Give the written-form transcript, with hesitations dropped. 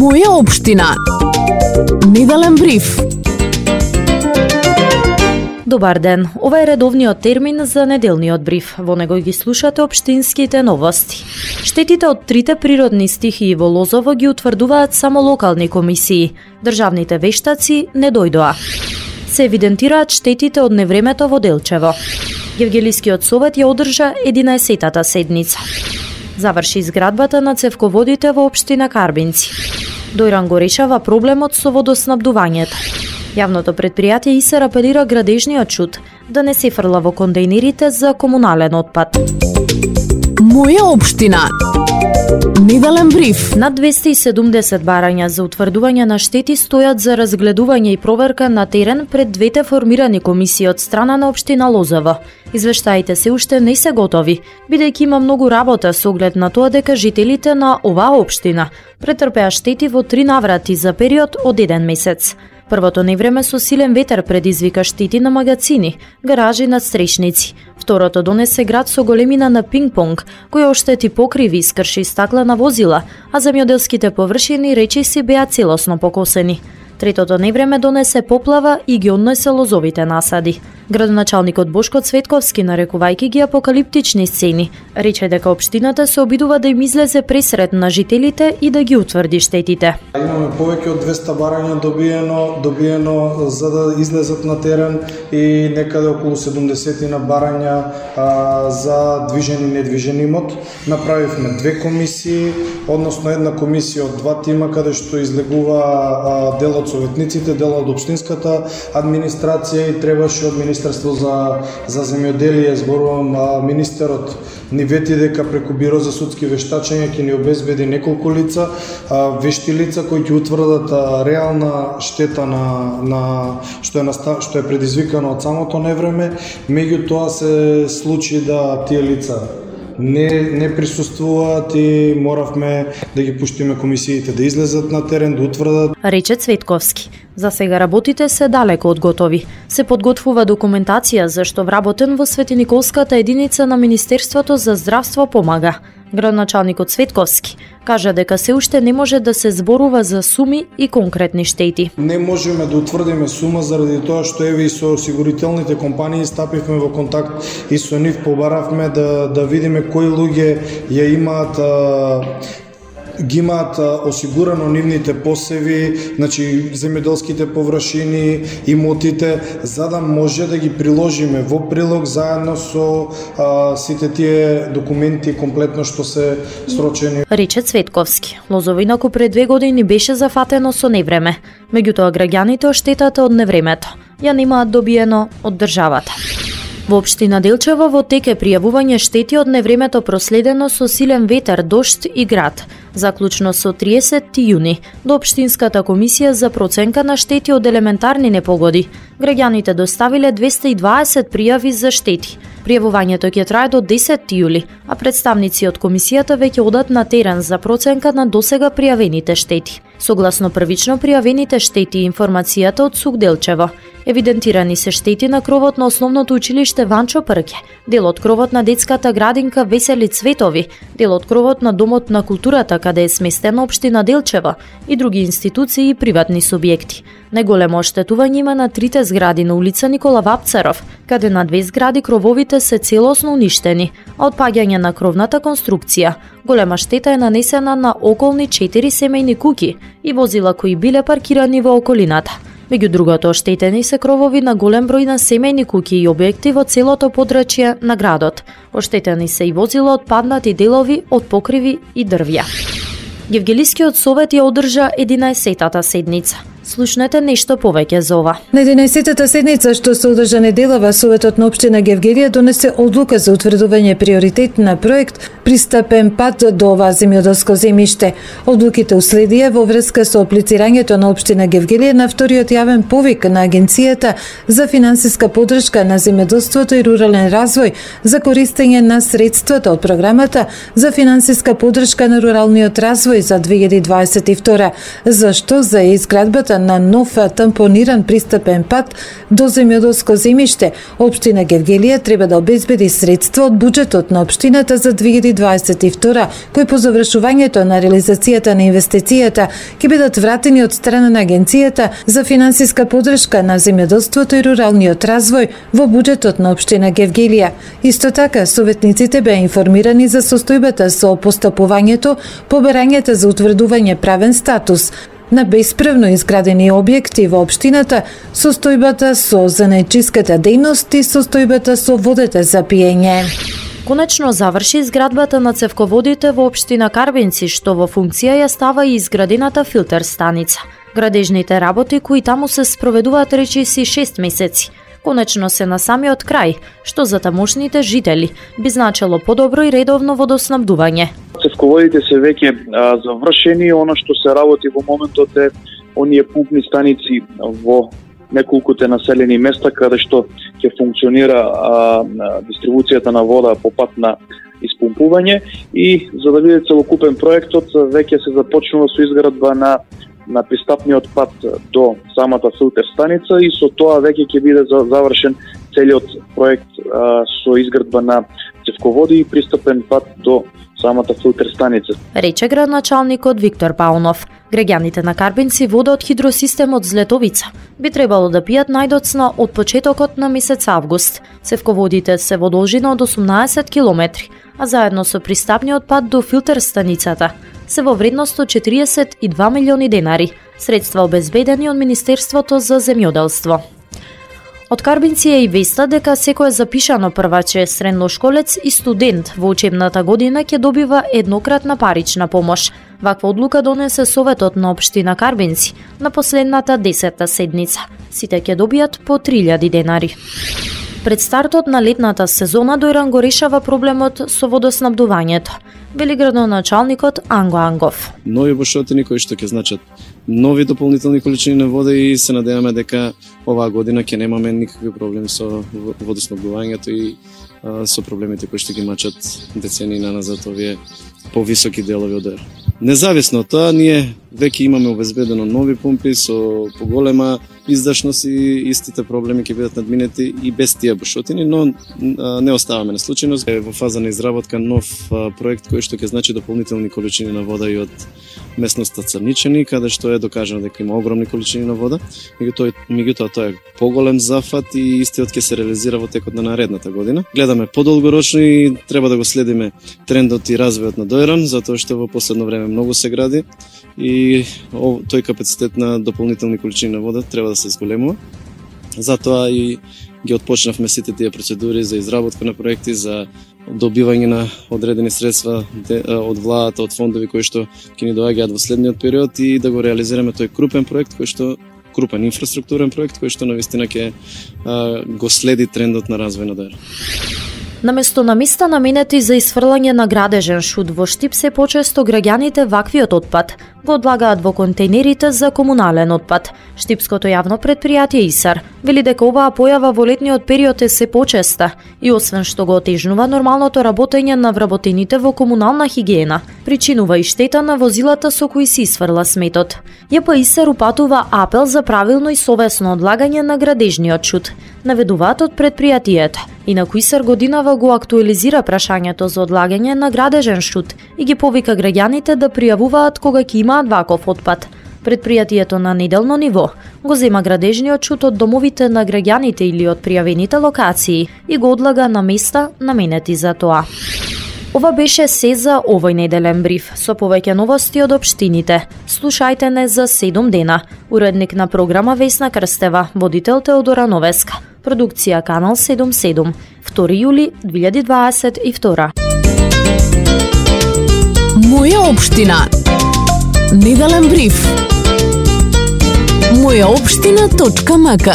Моја општина. Неделен бриф. Добар ден, ова е редовниот термин за неделниот бриф. Во него ги слушате општинските новости. Штетите од трите природни стихии во Лозово ги утврдуваат само локални комисии. Државните вештаци не дојдоа. Се евидентираат штетите од невремето во Делчево. Гевгелискиот совет ја одржа 11-тата седница. Заврши изградбата на цевководите во општина Карбинци. Дојран го решава проблемот со водоснабдувањето. Јавното предпријатие ИСЕР апелира градежниот шут да не се фрла во кондејнерите за комунален отпад. Моја општина. Неделен бриф. Над 270 барања за утврдување на штети стојат за разгледување и проверка на терен пред двете формирани комисии од страна на општина Лозово. Извештаите се уште не се готови, бидејќи има многу работа со оглед на тоа дека жителите на оваа општина претрпеа штети во 3 наврати за период од 1 месец. Првото невреме со силен ветер предизвика штети на магацини, гаражи, надстрешници. Второто донесе град со големина на пинг-понг, која оштети покриви и скрши стаклена возила, а земјоделските површини речиси беа целосно покосени. Третото невреме донесе поплава и ги однесе лозовите насади. Градоначалникот Бошко Цветковски, нарекувајќи ги апокалиптични сцени, рече дека општината се обидува да им излезе пресрет на жителите и да ги утврди штетите. Имаме повеќе од 200 барања добиено за да излезат на терен и некаде околу 70 на барања за движен и недвижен имот. Направивме 2 комисии, односно една комисија од 2 тима каде што излегува дел од советниците, дел од општинската администрација и требаше од Министерство за земјоделие, зборувам, министерот ни вети дека преку Биро за судски вештачења ќе ни обезбеди неколку лица, вешти лица кои ќе утврдат реална штета на што е предизвикано од самото невреме. Меѓутоа се случи да тие лица не присуствуваат и моравме да ги пуштиме комисиите да излезат на терен, да утврдат. Рече Цветковски. За сега работите се далеко од готови. Се подготвува документација за што вработен во Светиниколската единица на Министерството за здравство помага. Градоначалникот Цветковски кажа дека се уште не може да се зборува за суми и конкретни штети. Не можеме да утврдиме сума заради тоа што еве и со осигурителните компании стапивме во контакт и со нив побаравме да видиме кои луѓе ја имаат осигурано нивните посеви, значи земјоделските површини, имотите, за да може да ги приложиме во прилог заедно со сите тие документи комплетно што се срочени. Рече Цветковски. Лозово инаку пред 2 години беше зафатено со невреме, меѓутоа граѓаните оштетата од невремето ја немаат добиено од државата. Во општина Делчево во тек е пријавување штети од невремето проследено со силен ветер, дожд и град. Заклучно со 30 јуни до општинската комисија за проценка на штети од елементарни непогоди, граѓаните доставиле 220 пријави за штети. Пријавувањето ќе трае до 10 јули, а представници од комисијата веќе одат на терен за проценка на досега пријавените штети. Согласно првично пријавените штети и информацијата од СУК Делчево, евидентирани се штети на кровот на основното училиште Ванчо Прке, дел од кровот на детската градинка Весели Цветови, дел од кровот на Домот на културата каде е сместена општина Делчево и други институции и приватни субјекти. Најголемо оштетување има на 3 згради на улица Никола Вапцаров, каде на 2 згради крововите се целосно уништени, а од паѓање на кровната конструкција голема штета е нанесена на околни 4 семејни куќи и возила кои биле паркирани во околината. Меѓу другото, оштетени се кровови на голем број на семејни куќи и објекти во целото подрачје на градот. Оштетени се и возила од паднати делови од покриви и дрвја. Гевгелискиот совет ја одржа 11-тата седница. Слушнете нешто повеќе за ова. На 11-тата седница што се одржа неделава, Советот на општина Гевгелија донесе одлука за утврдување приоритет на проект Пристапен пат до ова земјоделско земјиште. Одлуките уследија во врска со аплицирањето на општина Гевгелија на вториот јавен повик на Агенцијата за финансиска поддршка на земјоделството и рурален развој за користење на средствата од програмата за финансиска поддршка на руралниот развој за 2022, зашто за изградбата изградбата на нов тампониран пристапен пат до земјоделско земјиште, општина Гевгелија треба да обезбеди средства од буџетот на општината за 2022, кои по завршувањето на реализацијата на инвестицијата ќе бидат вратени од страна на Агенцијата за финансиска поддршка на земјоделството и руралниот развој во буџетот на општина Гевгелија. Исто така, советниците беа информирани за состојбата со постапувањето по барањата за утврдување правен статус на бесправно изградени објекти во општината, состојбата со занајчиската дејност и состојбата со водата за пиење. Конечно заврши изградбата на цевководите во општина Карбинци, што во функција ја става и изградената филтер станица. Градежните работи кои таму се спроведуваат речиси 6 месеци, конечно се на самиот крај, што за тамошните жители би значело подобро и редовно водоснабдување. Цевководите се веќе завршени, она што се работи во моментот е оние пумпни станици во неколкуте населени места каде што ќе функционира дистрибуцијата на вода по пат на испумпување, и за да биде целокупен проектот веќе се започнува со изградба на пристапниот пат до самата филтер станица, и со тоа веќе ќе биде завршен целиот проект со изградба на цевководи и пристапен пат до самата филтер станица. Рече градначалникот Виктор Паунов. Граѓаните на Карбинци вода од хидросистемот Злетовица би требало да пијат најдоцна од почетокот на месец август. Цевководите се во должина од 18 километри, а заедно со пристапниот пат до филтер станицата се во вредност од 42 милиони денари, средства обезбедени од Министерството за земјоделство. Од Карбинци е и веста дека секој запишано прваче, средношколец и студент во учебната година ќе добива еднократна парична помош. Ваква одлука донесе Советот на општина Карбинци на последната 10-та седница. Сите ќе добијат по 3000 денари. Пред стартот на летната сезона Дојран го решава проблемот со водоснабдувањето, вели градоначалникот Анго Ангов. Нови бушотини кои што ќе значат нови дополнителни количини на вода, и се надеваме дека оваа година ќе немаме никакви проблеми со водоснабдувањето и со проблемите кои што ги мачат децении наназад овие повисоки делови од Дојран. Независно од тоа, ние веќе имаме обезбедено нови пумпи со поголема издашност и истите проблеми ќе бидат надминети и без тие бушотини, но не оставаме на случајност. Е во фаза на изработка нов проект кој што ќе значи дополнителни количини на вода и од местноста Црничани, каде што е докажано дека има огромни количини на вода. Меѓутоа тоа е поголем зафат и истиот ќе се реализира во текот на наредната година. Гледаме подолгорочно и треба да го следиме трендот и развојот на Дојран, затоа што во последно време многу се гради и тој капацитет на дополнителни количини на вода треба да се зголемува. Затоа и ги отпочнавме сите тие процедури за изработка на проекти, за добивање на одредени средства од владата, од фондови кои што ќе ни доаѓаат во следниот период, и да го реализираме тој крупен проект кој што крупен инфраструктурен проект кој што навистина ќе го следи трендот на развој на Дојран. Наместо на места наменети за исфрлање на градежен шут во Штип, се почесто граѓаните ваквиот отпад го одлагаат во контейнерите за комунален отпад. Штипското јавно предпријатие ИСАР вели дека оваа појава во летниот период е се почеста и освен што го отежнува нормалното работење на вработените во комунална хигиена, причинува и штета на возилата со кои се исфрла сметот. ЈП ИСАР упатува апел за правилно и совесно одлагање на градежниот шут, наведуваат од предпријатието. Инаку ИСАР годинава го актуализира прашањето за одлагање на градежен шут и ги повика граѓаните да пријавуваат кога ќе имаат ваков отпад. Предпријатието на неделно ниво го зема градежниот шут од домовите на граѓаните или од пријавените локации и го одлага на места наменети за тоа. Ова беше се за овој неделен бриф, со повеќе новости од општините. Слушајте не за 7 дена. Уредник на програма Весна Крстева, водител Теодора Новеска. Продукција Канал 77, 2 јули 2022. Моја општина. Неделен бриф. Мојаопштина.мк